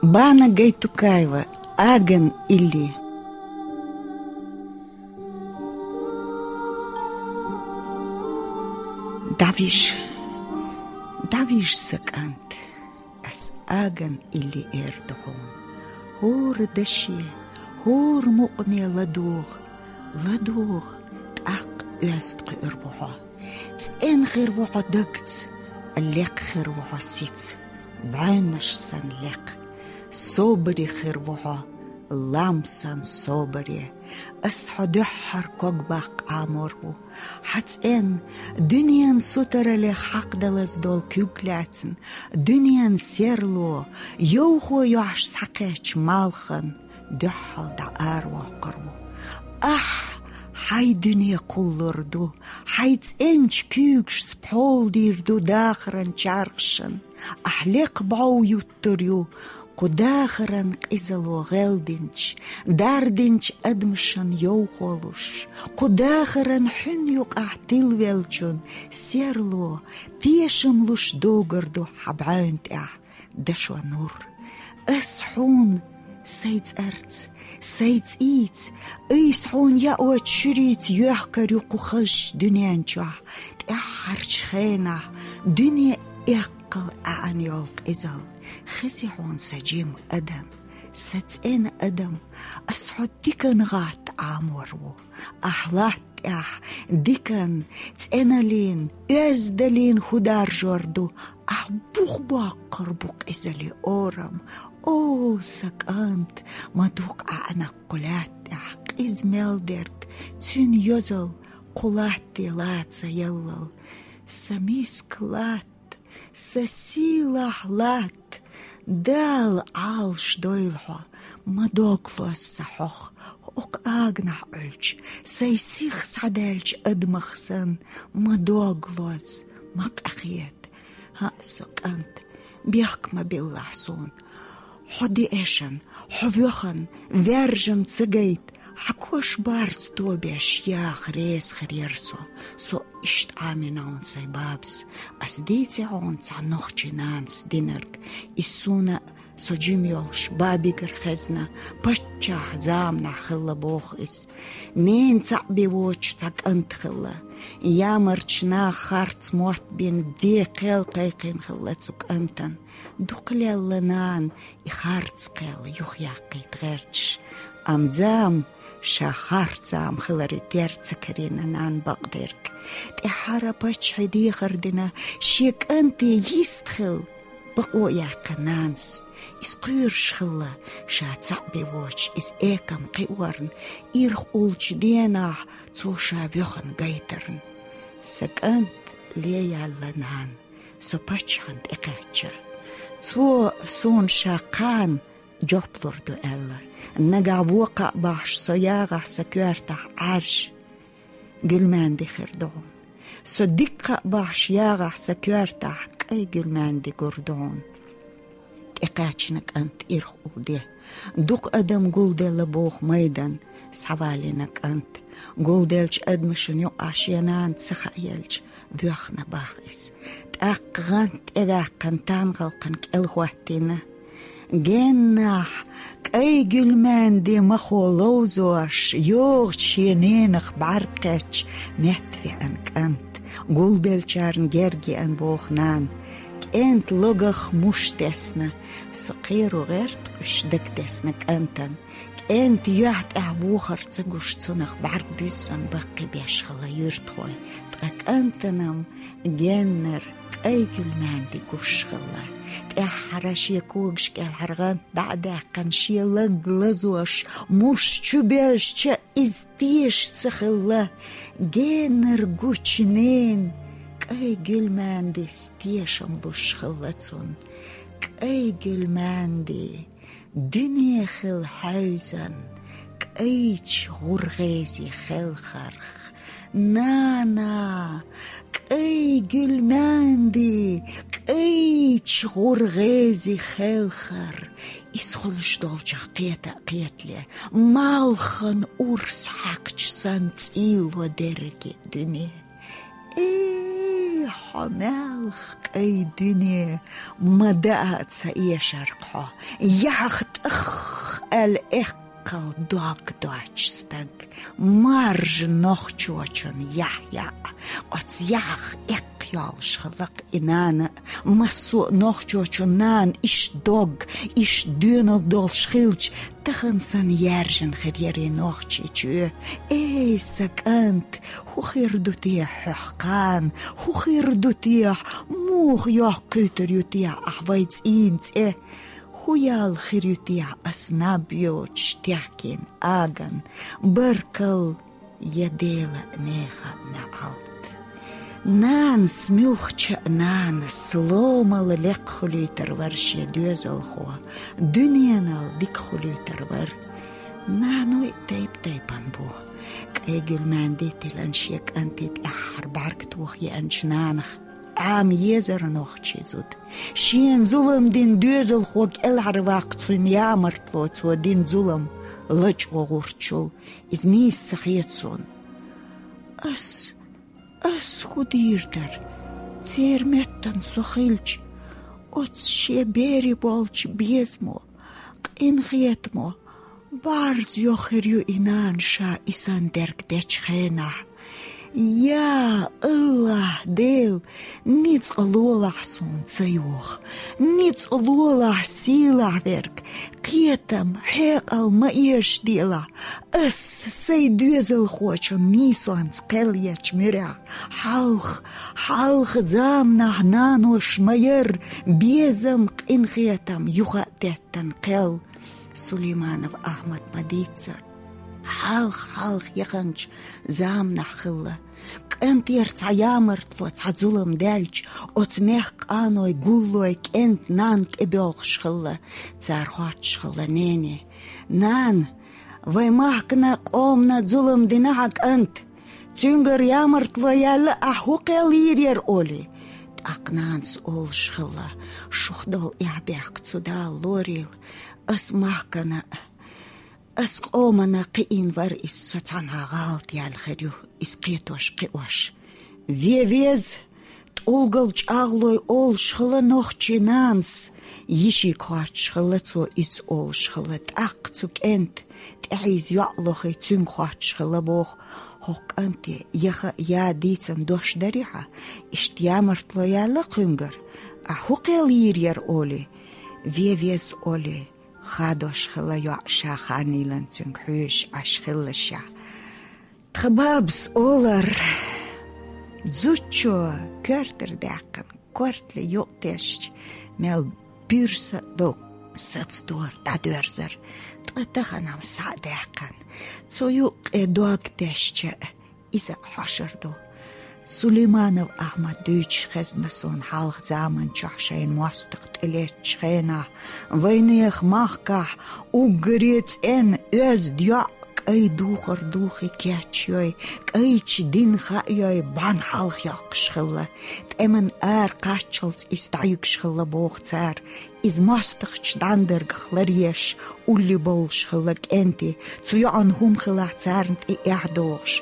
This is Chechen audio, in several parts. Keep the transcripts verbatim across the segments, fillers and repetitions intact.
Бана Гайтукаева. Аган илли. Давиш, давиш, са кӀант, ас аган илли эр ду хьуна. ХӀора даше, хӀора мукъаме ладугӀа, ладугӀа, тӀаккха оьзда кхуьур ву хьо. ЦӀена хир ву хьо дагца, лекха хир ву хьо сица, бӀаьвнаш санна лекха. Собаре хир ву хьо, лам санна собаре. Ас хьо дуьххьара ког баккха Ӏамор ву. Хьа цӀен, дуьненан сутаралех хьакхадалаза долу куьг лаьцна, дуьненан серло, йовхо йохьуш схьакхаьчча малхан дуьххьал дӀа аравоккхур ву. Ахь, хьайн дуьне кхуллур ду, хьайн цӀеначу куьйгашца пхьола дийр ду дахаран чархашна, ахь лекха бӀов юттур ю, кху дахаран къизало гӀелдинчу, дардинчу адамашна йовхо луш, кху дахаран хьуьнан юкъахь тилавеллачун серло тешам луш догур ду хьан бӀаьвна тӀехь дашо нур. Ас хьуна сайн цӀарца, сайн цӀийца, айса хьуна яочу шуьрийца йоьхкур ю кху хазачу дуьнен чохь, тӀаьххьарчу хенахь дуьне эккхал аьӀна йолу къизалла. Хези хьуна сан жима адам, сан цӀена адам, ас хьо дикан гӀатта Ӏамор ву. Ахь латта тӀехь дикан, цӀеналлин, оьздаллин хӀу даржор ду, ахь бух боккхур бу къизаллин орам. О, сан кӀант, ма дукха Ӏаьнакх кху лаьтта тӀехь, къиза мел дерг, цуьнан йозалла кху латте лаца яллал. Сан миска латта, сан сийлахь латта, Дала Ӏалаш дойла хьо, ма дог лоза сан хьох, хӀокху аганахь Ӏуьллучу, сайн сих схьадаьллачу адамах санна, ма дог лоза, ма къахета. ХӀаъ, со кӀант, бехк ма биллахь суна. Хьо деэшан, хьо воьхан, ваьржан ца гайта, хьан кош барз тобеш яха реза хир яра со. Со иштта Ӏамийна хьуна сайн бабас. Ас дийци хьуна цхьа нохчийн нанас динарг. Иза суна а, со жима йолуш, бабигара хезна, паччахь заманахь хилла боху иза. Ненан цхьаъ бен воцуш цхьа кӀант хилла. Ямарчу наха харц мотт бина ден кхел кхайкхина хилла цу кӀантана. Дукха лелла нана и харц кхел юхаяккхийта гӀерташ. Амма зама, ша харц зама хиларе терра ца карийна нана бакъдерг. ТӀаьххьара паччахье дехар дина, шен кӀанте йист хила бакъо яьккхина нанас. Иза кхоьруш хилла, ша цхьаъ бен воцуш иза экам кхиорна, ирх уллучу денахь цо ша воьхна гайтарна. Сан кӀант, ле яьлла нана, со паччахьна тӀекхаьчча. Цо суна ша кхана жоп лур ду аьлла. Нагахь вон кхаъ бахьаш со ягӀахь сан коьртахь Ӏаьржа гуьлманди хир ду хьуна. Со дика кхаъ бахьаш ягӀахь сан коьртахь кӀай гуьлманди гур ду хьуна. ТӀекхаьчна кӀант ирх уллу де. Дукха адам гулделла боху майдан схьавалийна кӀант. Гулделлачу адамашна юкъахь шен нана ца хааелча, воьхна бах иза. ТӀаккха гӀант тӀеваьккхина тангӀалкхан кӀел хӀоттийна. Геннахь, кӀай гуьлманди махо ловзош, йогӀучу шен ненах бӀаьрг кхетча, метта веана кӀант. Гулбеллачарна герга еана боху нана. КӀентан логах муш тесна. Со кхеро гӀерта уьш дагтесна кӀантана. КӀентан юьхь тӀехь вохар ца гуш, цунах бӀаьрг буьззина баккхийбеш хилла юьртахой. Ткъа кӀантанам геннара кӀай гуьлманди гуш хилла. ТӀаьххьара шен когаш кӀелхьара гӀант дӀа а даьккхина, шен лаг лазош, муш чубежча, иза теша ца хилла. Геннара гучу ненан кӀай гуьлмандис тешам луш хилла цунна. КӀай гуьлманди, дуьне хила хьаьвзан, кӀайчу гӀургӀези хелхарх. Нана, кӀай гуьлманди, кӀайчу гӀургӀези хелхар. Иза хуьлуш долчух кхета а кхетале, малхан урс хьаькхча санна цӀийло дерриге дуьне. Э, Хьо мелха къай дуьне, ма даа ца эшарг хьо. Яхь тӀах аьлла эккхал дог доач стаг. Маржа нохчочун яхь яа, оц яхь эккха йолуш хилла-кх и нана. Массо а нохчочун нана иштта дог, иштта доьналла долуш хилча, тахана санна яьржина хир яра и нохчий чоь. Эй, сан кӀант, хӀун хир ду те хьох кхана, хӀун хир ду те, муха йоккхуьйтур ю те ахь вай цӀийнан цӀе? ХӀун ял хир ю те ас наб йоцуш техкийна аган? Баркалла, я Дела, нехан неӀалт! Нанас, муьлххачу а нанас, ломал лекха хуьлуьйтур вара шен доьзалхо, дуьненал дика хуьлуьйтур вара. Наной тайп-тайпана бу. Къегуьлмаьнди тилан шен кӀанте тӀаьххьара бӀаьрг тоха еанчу нанах Ӏама езара нохчий зуда. Шена зулам дина доьзалхо кӀелхьарваккха цуьнан ямартло, цо дина зулам лачкъо гӀуртчул, иза нийса ца хета суна. Ас, ас хӀун дийр дара? Церан меттана со хилча, оцу шен бере болчу безамо, къинхетамо, бӀарз йохуьйтур ю и нана ша и санна дерг дечу хенахь. Я АллахӀ Дела, ницкъ лолахь суна ца йоха, ницкъ лолахь сийлахь верг, кхетам, хьекъал ма эшаделахь, ас сайн доьзалхочун нийсонца кхел ечу муьрехь. Хьалха, хьалха заманахь нанош ма яра безам, къинхетам юха а теттан кхел. Сулейманов Ахьмад ма дийццара. Хьалха, хьалха яханчу заманахь хилла. КӀантера цхьа ямартло, цхьа зулам даьлча, оцу мехкан къаной, гуллой кӀентан нанна тӀебоьлхуш хилла. Цара хоттуш хилла: «Нене, нана, вайн махкана, къомана зулам дина хьан кӀанта. Цуьнгара ямартло яьлла, ахь хӀун кхел йийр яра?» — олий. ТӀаккха нанас олуш хилла: «Шух долу эхь-бехк цу Дала лорийла. Ас махкана, ас къомана кхиийна вара иза, со цхьанхьа гӀалат яьлла хир ю иза кхетош-кхиош. Вен веза, тӀулгал чӀагӀлой», — олуш хилла нохчийн нанас. Йишига хоттуш хилла цо, иза олуш хилла. ТӀаккха цу кӀентан тӀаьхьийза йоӀ лохий, цуьнга хоттуш хилла боху: «ХӀокху кӀанте яха а, я дийцина дош дарий хьан? Иштта ямартло яьлла кхуьнгара. Ахь хӀун кхел йийр яра?» — олий. «Вен веза», — олий. Хадош хилла йоӀ, ша ханийла цуьнга хьоьжуш Ӏаш хиллашехь. Тхан бабас олар: зудчо коьртара даьккхина, кортале юкъ тесча, мел буьрса а дог сацадора, дӀадоьрзар. Ткъа тахана-м схьа а даьккхина, цу юккъе дог тесча, иза а хьошур ду. Сулейманов Ахьмад дуьйцуш хезна суна хьалха заманчохь шайна мостагӀ тӀелеттачу хенахь, вайнехан махкахь уггаре цӀена оьзда йоӀ кӀайн духар духий кечйой, кӀайчу дин хаайой, бӀаьнна хьалха йоккхуш хилла. ТӀеман ара кхаччалц иза дӀаюьгуш хилла боху цара. Иза мостагӀчу дӀандаргах ларъеш, улле бовлуш хилла кӀентий. Цу йоӀана хӀума хилахь, царна тӀе эхь дохуш.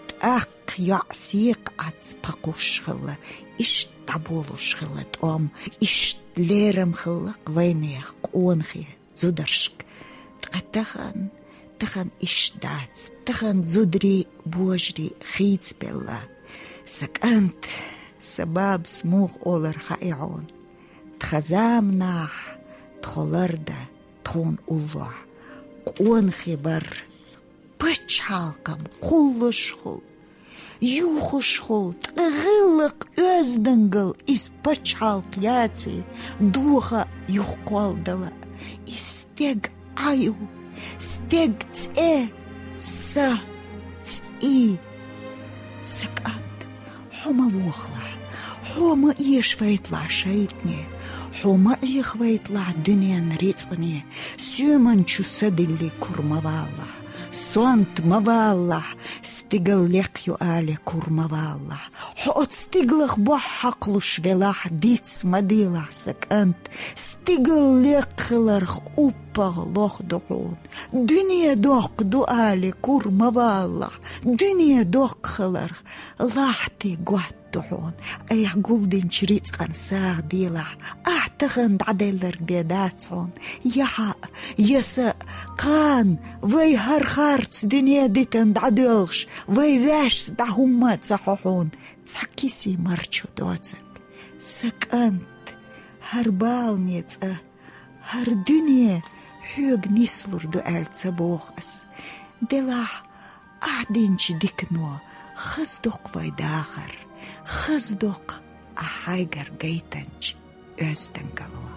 ТӀаккха йоӀ секха Ӏац пхи кхуссуш хилла, иштта дӀаболуш хилла тӀом, иштта лерам хилла-кх вайнехан къонахий зударшка. Ткъа тахана, тахана иштта дац, тахана зударий, божарий хийцабелла. Сан кӀант, сан бабас муха олар хаьий хьуна? Тхан заманахь тхо лардан, тхуна уллохь къонахий бар. Пачхьалкхам кхуллушхула, юхушхула, ткъа гӀиллакх-оьздангалла иза пачхьалкх яций, доха а юхакхолладала. И стеган Ӏай ю, стеган цӀе, са, цӀий. Сан кӀант, хьо ма вохалахь, хьо ма эшавайталахь шайтӀане, хьо ма Ӏехавайталахь дуьненан рицкъане, соьман чу са диллий кур ма валалахь, сонта ма валалахь, стигал лекха ю алий кур ма валалахь. Хьо оцу стигалах бохь хьакхалуш велахь, диц ма делахь, сан кӀант, стигал лекха хиларх уп ПагӀа лох ду хьуна. Дуьне доккха ду али кура ма валлахь. Дуьне доккха хиларх лахьти готта ду хьуна. Айхьа гулдинчу рицкъан сагӀа делахь, ахь тахана дӀаделларг де дац хьуна. Я хьаъ, я са а, кхана вай хӀара харц дуьне дитан дӀадоьлхуш, вай ваьшса дӀа хӀумма а ца хьо хьуна, цхьа кисий марчо доцург. Сан кӀант, хӀара балане цӀа, хӀара дуьне хьоьга нислур ду аьлла ца боху ас. Делахь, ахь динчу дикано хаза доккху вай дахар, хаза доккху ахь хьайгара гайтанчу оьздангалло.